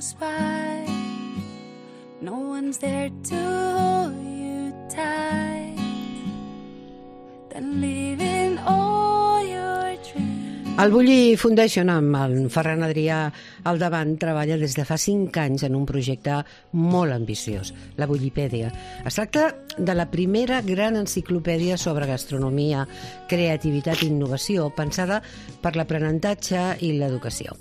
goes by, no one's there to hold you tight, then leaving all your dreams. El Bulli Foundation, amb el Ferran Adrià al davant, treballa des de fa 5 anys en un projecte molt ambiciós, la Bullipèdia. Es tracta de la primera gran enciclopèdia sobre gastronomia, creativitat i innovació, pensada per l'aprenentatge i l'educació.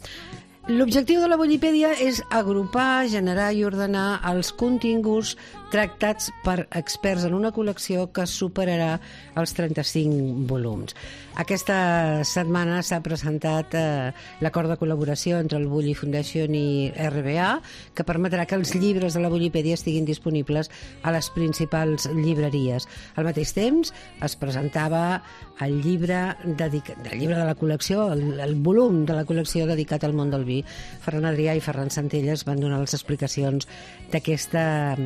L'objectiu de la Bullipèdia és agrupar, generar i ordenar els continguts tractats per experts en una col·lecció que superarà els 35 volums. Aquesta setmana s'ha presentat l'acord de col·laboració entre el Bulli Foundation i RBA, que permetrà que els llibres de la Bullipèdia estiguin disponibles a les principals llibreries. Al mateix temps es presentava el llibre de la col·lecció, el volum de la col·lecció dedicat al món del vi. Ferran Adrià i Ferran Santelles van donar les explicacions d'aquesta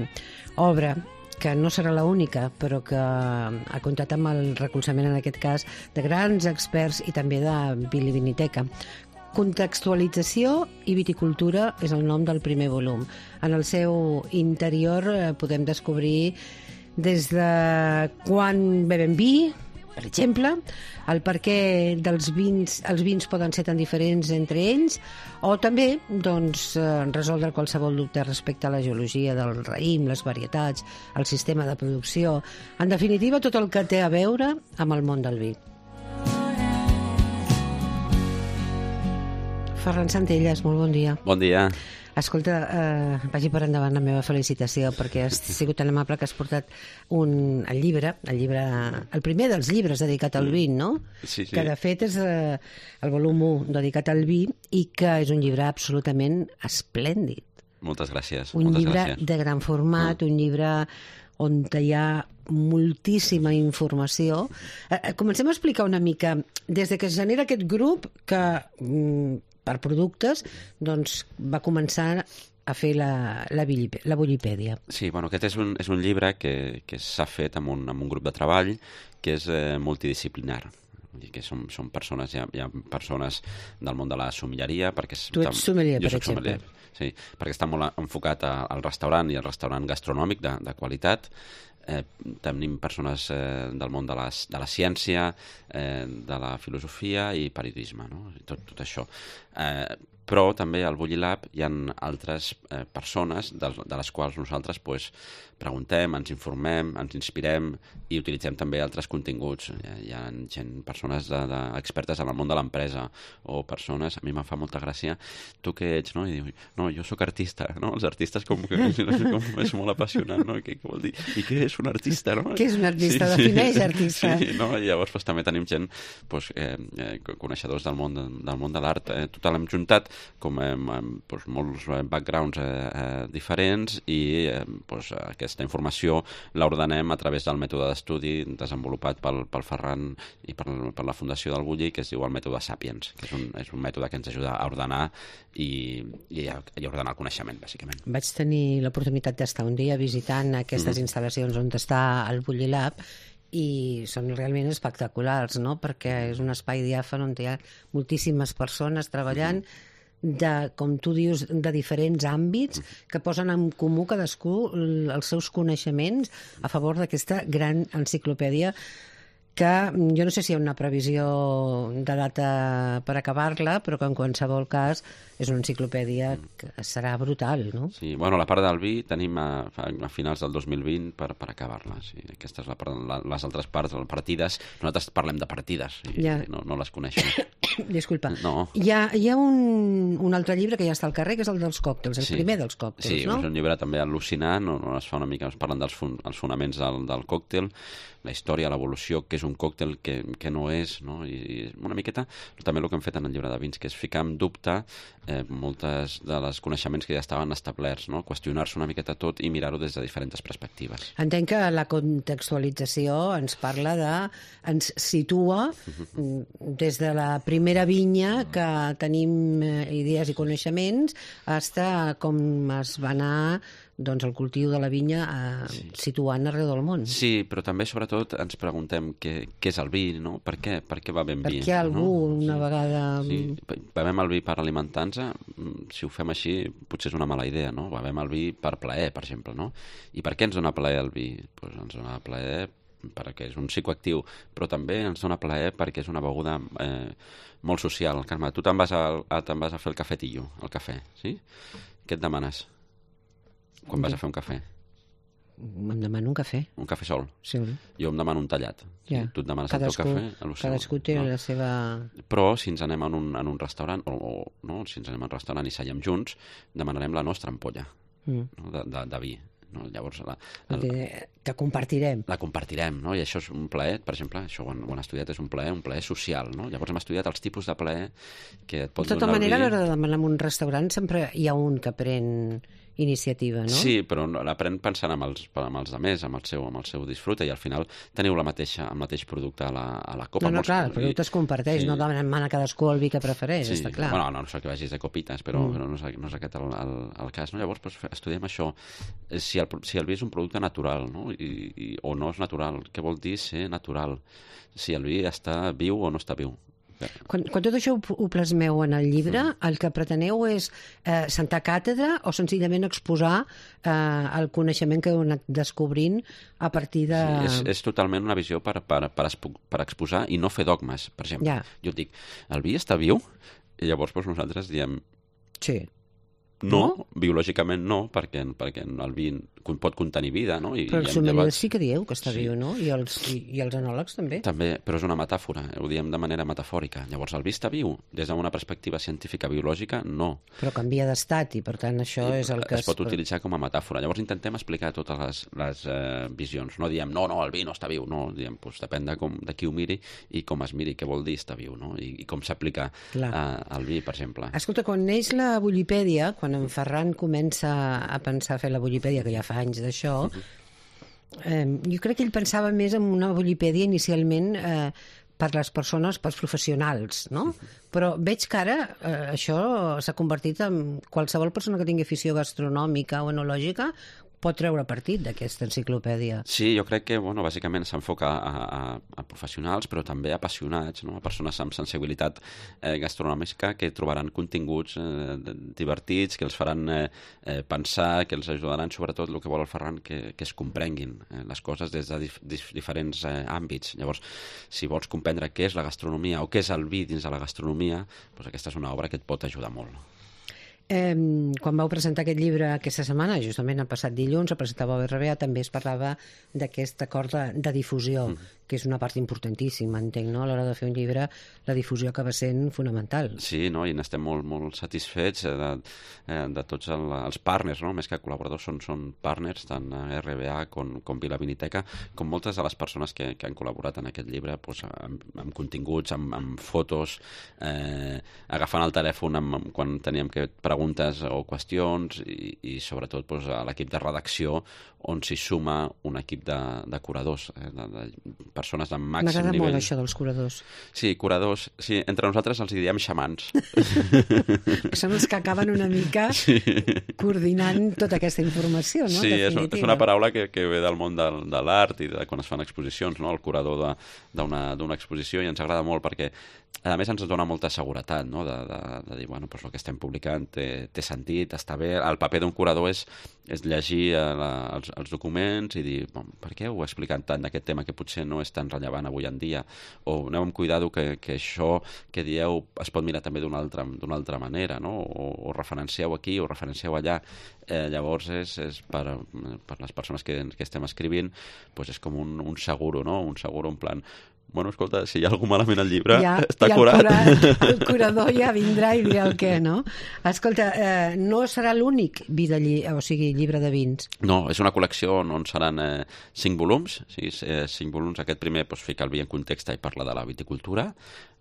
obra, que no serà l'única, però que ha comptat amb el recolzament, en aquest cas, de grans experts i també de Viniviniteca. Contextualització i viticultura és el nom del primer volum. En el seu interior podem descobrir des de quan bevem vi, per exemple, el perquè els vins poden ser tan diferents entre ells, o també resoldre qualsevol dubte respecte a la geologia del raïm, les varietats, el sistema de producció, en definitiva tot el que té a veure amb el món del vi. Ferran Santelles, molt bon dia. Bon dia. Escolta, vagi per endavant la meva felicitació, perquè has sigut tan amable que has portat el primer dels llibres dedicat al vi, no? Sí. Que de fet és el volum 1 dedicat al vi i que és un llibre absolutament esplèndid. Moltes gràcies. Un llibre de gran format, un llibre on hi ha moltíssima informació. Comencem a explicar una mica, des que es genera aquest grup que per productes, doncs va començar a fer la Bullipèdia. Sí, bueno, aquest és un llibre que s'ha fet amb un grup de treball que és multidisciplinar. Vull dir que són persones, hi ha persones del món de la sommelleria, perquè... Tu ets sommelier, per exemple. Sí, perquè està molt enfocat al restaurant i al restaurant gastronòmic de qualitat. Tenim persones del món de la ciència, de la filosofia i periodisme, no? Tot això. Però també al Bulli Lab hi ha altres persones de les quals nosaltres preguntem, ens informem, ens inspirem i utilitzem també altres continguts. Hi ha persones expertes en el món de l'empresa o persones, a mi em fa molta gràcia, tu què ets, no? I diu, no, jo sóc artista, no? Els artistes com que és molt apassionant, no? Què vol dir? I què és un artista, no? Què és un artista? Defineix artista. Sí, no? I llavors també tenim gent coneixedors del món de l'art. Tot l'hem juntat com molts backgrounds diferents i aquesta informació l'ordenem a través del mètode d'estudi desenvolupat pel Ferran i per la Fundació del Bulli, que es diu el mètode Sapiens, que és un mètode que ens ajuda a ordenar i a ordenar el coneixement, bàsicament. Vaig tenir l'oportunitat d'estar un dia visitant aquestes instal·lacions on està el Bulli Lab i són realment espectaculars, no? Perquè és un espai diàfan on hi ha moltíssimes persones treballant com tu dius, de diferents àmbits que posen en comú cadascú els seus coneixements a favor d'aquesta gran enciclopèdia que jo no sé si hi ha una previsió de data per acabar-la, però que en qualsevol cas és una enciclopèdia que serà brutal, no? Sí, bueno, la part del vi tenim a finals del 2020 per acabar-la. Sí, aquesta és la part, les altres parts, les partides, nosaltres parlem de partides, no les coneixem. Disculpa. No. Hi ha un altre llibre que ja està al carrer, que és el dels còctels, el primer dels còctels, no? Sí, és un llibre també al·lucinant, on es fa una mica, es parlen dels fonaments del còctel, la història, l'evolució, què és un còctel, què no és, no? I una miqueta també el que hem fet en el llibre de vins, que és ficar en dubte moltes de les coneixements que ja estaven establerts, no? Qüestionar-se una miqueta tot i mirar-ho des de diferents perspectives. Entenc que la contextualització ens ens situa des de la primera vinya que tenim idees i coneixements fins com es va anar doncs, el cultiu de la vinya situant arreu del món. Sí, però també, sobretot, ens preguntem què és el vi, no? Per què bevem vi? Per què algú, una vegada... Sí, bevem el vi per alimentar-nos, si ho fem així, potser és una mala idea, no? Bevem el vi per plaer, per exemple, no? I per què ens dona plaer el vi? Doncs ens dona plaer perquè és un psicoactiu, però també ens dona plaer perquè és una beguda molt social. Carme, tu te'n vas a fer el cafetillo, el cafè, sí? Què et demanes quan vas a fer un cafè? Em demano un cafè. Un cafè sol? Sí. Jo em demano un tallat. Ja. Tu et demanes el teu cafè? Cadascú té la seva... Però si ens anem en un restaurant, no, si ens anem a un restaurant i seiem junts, demanarem la nostra ampolla de vi. No? Llavors, que compartirem. La compartirem, no? I això és un plaer, per exemple, això ho han estudiat, és un plaer social, no? Llavors hem estudiat els tipus de plaer que et pot donar el vi. De tota manera, a l'hora de demanar en un restaurant sempre hi ha un que pren iniciativa, no? Sí, però l'aprèn pensant amb els altres, amb el seu disfrute, i al final teniu el mateix producte a la copa. No, clar, el producte es comparteix, no demana cadascú el vi que prefereix, està clar. Bueno, no sé que vagis de copites, però no és aquest el cas, no? Llavors, estudiem això, si el vi és un producte natural, no? O no és natural, què vol dir ser natural? Si el vi està viu o no està viu. Quan tot això ho plasmeu en el llibre, el que preteneu és sentar càtedra o senzillament exposar el coneixement que heu anat descobrint a partir de... Sí, és totalment una visió per exposar i no fer dogmes. Per exemple, jo et dic, el vi està viu? I llavors nosaltres diem... Sí. No, biològicament no, perquè el vi pot contenir vida, no? Però els sommeliers sí que dieu que està viu, no? I els enòlegs també. També, però és una metàfora, ho diem de manera metafòrica. Llavors, el vi està viu? Des d'una perspectiva científica biològica, no. Però canvia d'estat i, per tant, això és el que... Es pot utilitzar com a metàfora. Llavors intentem explicar totes les visions. No diem, no, el vi no està viu. No, diem, depèn de qui ho miri i com es miri, què vol dir estar viu, no? I com s'aplica al vi, per exemple. Escolta, quan neix la Bullipèdia, quan en Ferran comença a pensar a fer la Bullipèdia, que ja fa anys d'això, jo crec que ell pensava més en una Bullipèdia inicialment per les persones, pels professionals, no? Però veig que ara això s'ha convertit en qualsevol persona que tingui afició gastronòmica o enològica pot treure partit d'aquesta enciclopèdia. Sí, jo crec que, bàsicament s'enfoca a professionals, però també a apassionats, no? A persones amb sensibilitat gastronòmica que trobaran continguts divertits, que els faran pensar, que els ajudaran, sobretot, el que vol el Ferran, que es comprenguin les coses des de diferents àmbits. Llavors, si vols comprendre què és la gastronomia o què és el vi dins de la gastronomia, doncs aquesta és una obra que et pot ajudar molt. Quan vau presentar aquest llibre aquesta setmana, justament el passat dilluns, el presentava BRBA, també es parlava d'aquest acord de difusió, que és una part importantíssima, entenc, no? A l'hora de fer un llibre, la difusió acaba sent fonamental. Sí, no? I n'estem molt satisfets de tots els partners, no? Més que col·laboradors, són partners, tant RBA com Vila Viniteca, com moltes de les persones que han col·laborat en aquest llibre, amb continguts, amb fotos, agafant el telèfon quan teníem que preguntes o qüestions i sobretot a l'equip de redacció on s'hi suma un equip de curadors, de persones de màxim nivell. M'agrada molt això dels curadors. Sí, curadors. Sí, entre nosaltres els diem xamans. Són els que acaben una mica coordinant tota aquesta informació, no? Sí, és una paraula que ve del món de l'art i de quan es fan exposicions, no? El curador d'una exposició, i ens agrada molt perquè a més ens dona molta seguretat, no? De dir, bueno, el que estem publicant té sentit, està bé. El paper d'un curador és llegir els documents i dir, per què heu explicat tant d'aquest tema que potser no és tan rellevant avui en dia? O aneu amb cuidado que això que dieu es pot mirar també d'una altra manera, no? O referencieu aquí o referencieu allà. Llavors és per les persones que estem escrivint, és com un seguro, no? Un seguro en plan, bueno, escolta, si hi ha algú malament al llibre, està curat. El curador ja vindrà i dirà el què, no? Escolta, no serà l'únic llibre de vins? No, és una col·lecció on seran 5 volums. 5 volums. Aquest primer fica el vi en context i parla de la viticultura.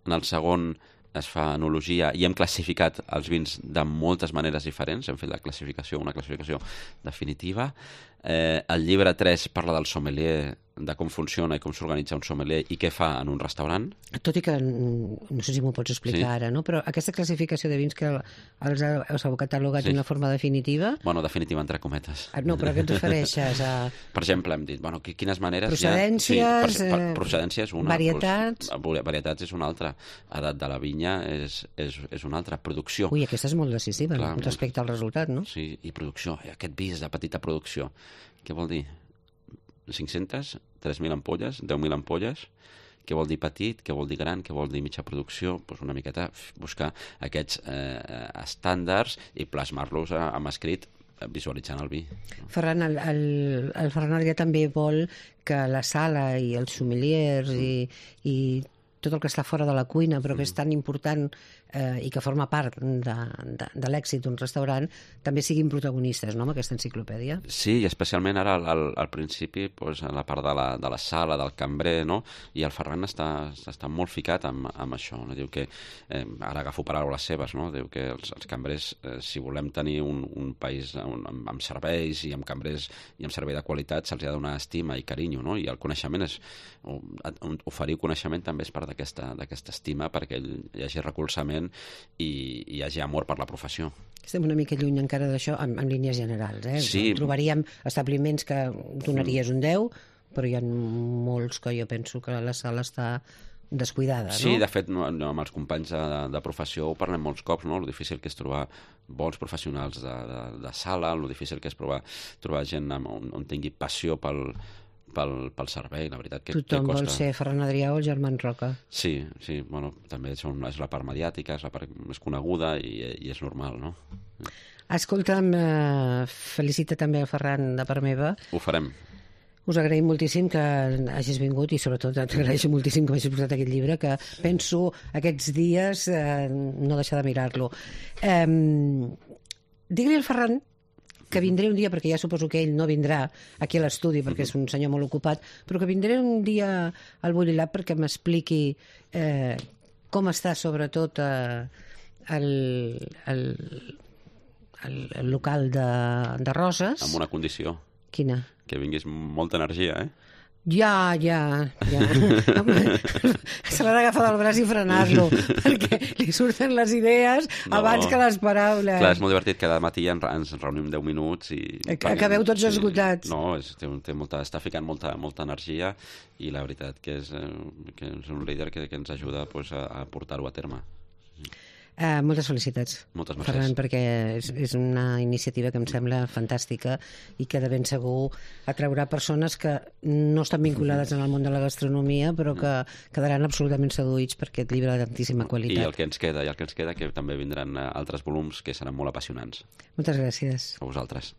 En el segon es fa enologia i hem classificat els vins de moltes maneres diferents. Hem fet una classificació definitiva. El llibre 3 parla del sommelier de com funciona i com s'organitza un sommelier i què fa en un restaurant. Tot i que, no sé si m'ho pots explicar ara, no? Però aquesta classificació de vins que els heu catalogat d'una forma definitiva... Bueno, definitiva entre cometes. No, però què et refereixes a... Per exemple, hem dit, bueno, quines maneres... Procedències... procedència és una. Varietats... Varietats és una altra. Edat de la vinya és una altra. Producció. Ui, aquesta és molt decisiva respecte al resultat, no? Sí, i producció. Aquest vi és de petita producció. Què vol dir? 500, 3.000 ampolles, 10.000 ampolles, què vol dir petit, què vol dir gran, què vol dir mitja producció, doncs una miqueta buscar aquests estàndards i plasmar-los amb escrit visualitzant el vi. Ferran, el Ferran Adrià també vol que la sala i els sommeliers i tot el que està fora de la cuina, però que és tan important i que forma part de l'èxit d'un restaurant, també siguin protagonistes, no?, amb aquesta enciclopèdia. Sí, i especialment ara al principi, doncs, a la part de la sala, del cambrer, no?, i el Ferran està molt ficat amb això. No? Diu que, ara agafo paraules seves, no?, diu que els cambrers, si volem tenir un país amb serveis i amb cambrers i amb servei de qualitat, se'ls ha de donar estima i carinyo, no?, i el coneixement oferir coneixement també és part d'aquesta estima perquè hi hagi recolzament i hi hagi amor per la professió. Estem una mica lluny encara d'això, en línies generals. Sí. Trobaríem establiments que donaries un 10, però hi ha molts que jo penso que la sala està descuidada, no? Sí, de fet, amb els companys de professió ho parlem molts cops, no? Lo difícil que és trobar bons professionals de sala, lo difícil que és trobar gent on tingui passió pel servei, la veritat que costa. Tothom vol ser Ferran Adrià o el Germán Roca. Sí, bueno, també és la part mediàtica, és la part més coneguda i és normal, no? Escolta'm, felicita també el Ferran de part meva. Ho farem. Us agraïm moltíssim que hagis vingut i sobretot t'agraeixo moltíssim que m'hagis portat aquest llibre, que penso aquests dies no deixar de mirar-lo. Digue-li al Ferran que vindré un dia, perquè ja suposo que ell no vindrà aquí a l'estudi perquè és un senyor molt ocupat, però que vindré un dia al Bulli Lab perquè m'expliqui com està sobretot el local de Roses. Amb una condició. Quina? Que vinguis molta energia, Ja. Se l'ha d'agafar del braç i frenar-lo, perquè li surten les idees abans que les paraules. Clar, és molt divertit, cada matí ens reunim 10 minuts i... Acabeu tots esgotats. No, està ficant molta energia i la veritat que és un líder que ens ajuda a portar-ho a terme. Moltes felicitats, Moltes gràcies. Ferran, perquè és una iniciativa que em sembla fantàstica i que de ben segur atraurà persones que no estan vinculades en el món de la gastronomia però que quedaran absolutament seduïts per aquest llibre de tantíssima qualitat. I el que ens queda, que també vindran altres volums que seran molt apassionants. Moltes gràcies. A vosaltres.